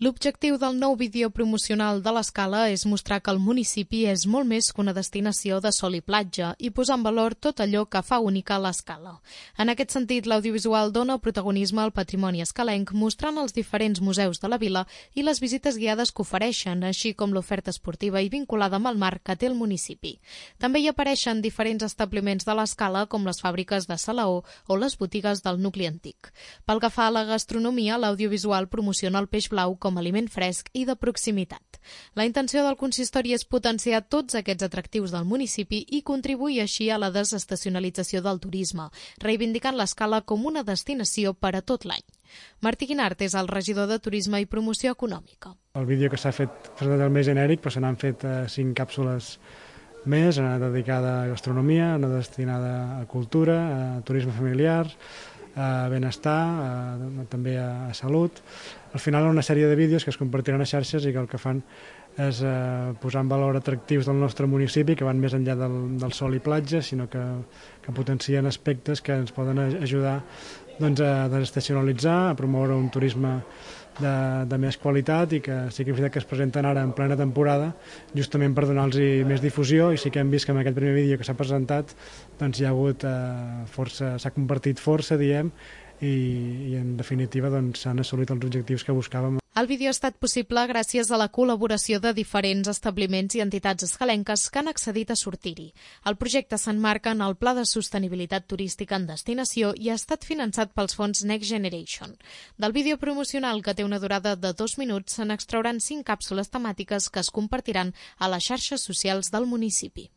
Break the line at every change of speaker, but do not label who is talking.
L'objectiu del nou vídeo promocional de l'Escala és mostrar que el municipi és molt més que una destinació de sol i platja i posar en valor tot allò que fa única l'Escala. En aquest sentit, l'audiovisual dona protagonisme al patrimoni escalenc, mostrant els diferents museus de la vila i les visites guiades que ofereixen, així com l'oferta esportiva i vinculada amb el mar que té el municipi. També hi apareixen diferents establiments de l'Escala, com les fàbriques de Salaó o les botigues del nucli antic. Pel que fa a la gastronomia, l'audiovisual promociona el peix blau com a aliment fresc i de proximitat. La intenció del consistori és potenciar tots aquests atractius del municipi i contribuir així a la desestacionalització del turisme, reivindicant l'Escala com una destinació per a tot l'any. Martí Guinart és el regidor de Turisme i Promoció Econòmica.
El vídeo que s'ha fet presentat el més genèric, però se n'han fet 5 càpsules més, una dedicada a gastronomia, una destinada a cultura, a turisme familiar, a benestar, també a salut. Al final, una sèrie de vídeos que es compartiran a xarxes i que el que fan és posar en valor atractius del nostre municipi que van més enllà del sol i platja, sinó que potencien aspectes que ens poden ajudar a desestacionalitzar, a promoure un turisme de més qualitat i que sí que és veritat que es presenten ara en plena temporada justament per donar-los més difusió, i sí que hem vist que en aquest primer vídeo que s'ha presentat hi ha hagut força, s'ha compartit força, diem, i en definitiva s'han assolit els objectius que buscàvem.
El vídeo ha estat possible gràcies a la col·laboració de diferents establiments i entitats escalenques que han accedit a sortir-hi. El projecte s'emmarca en el Pla de Sostenibilitat Turística en Destinació i ha estat finançat pels fons Next Generation. Del vídeo promocional, que té una durada de 2 minuts, se n'extrauran 5 càpsules temàtiques que es compartiran a les xarxes socials del municipi.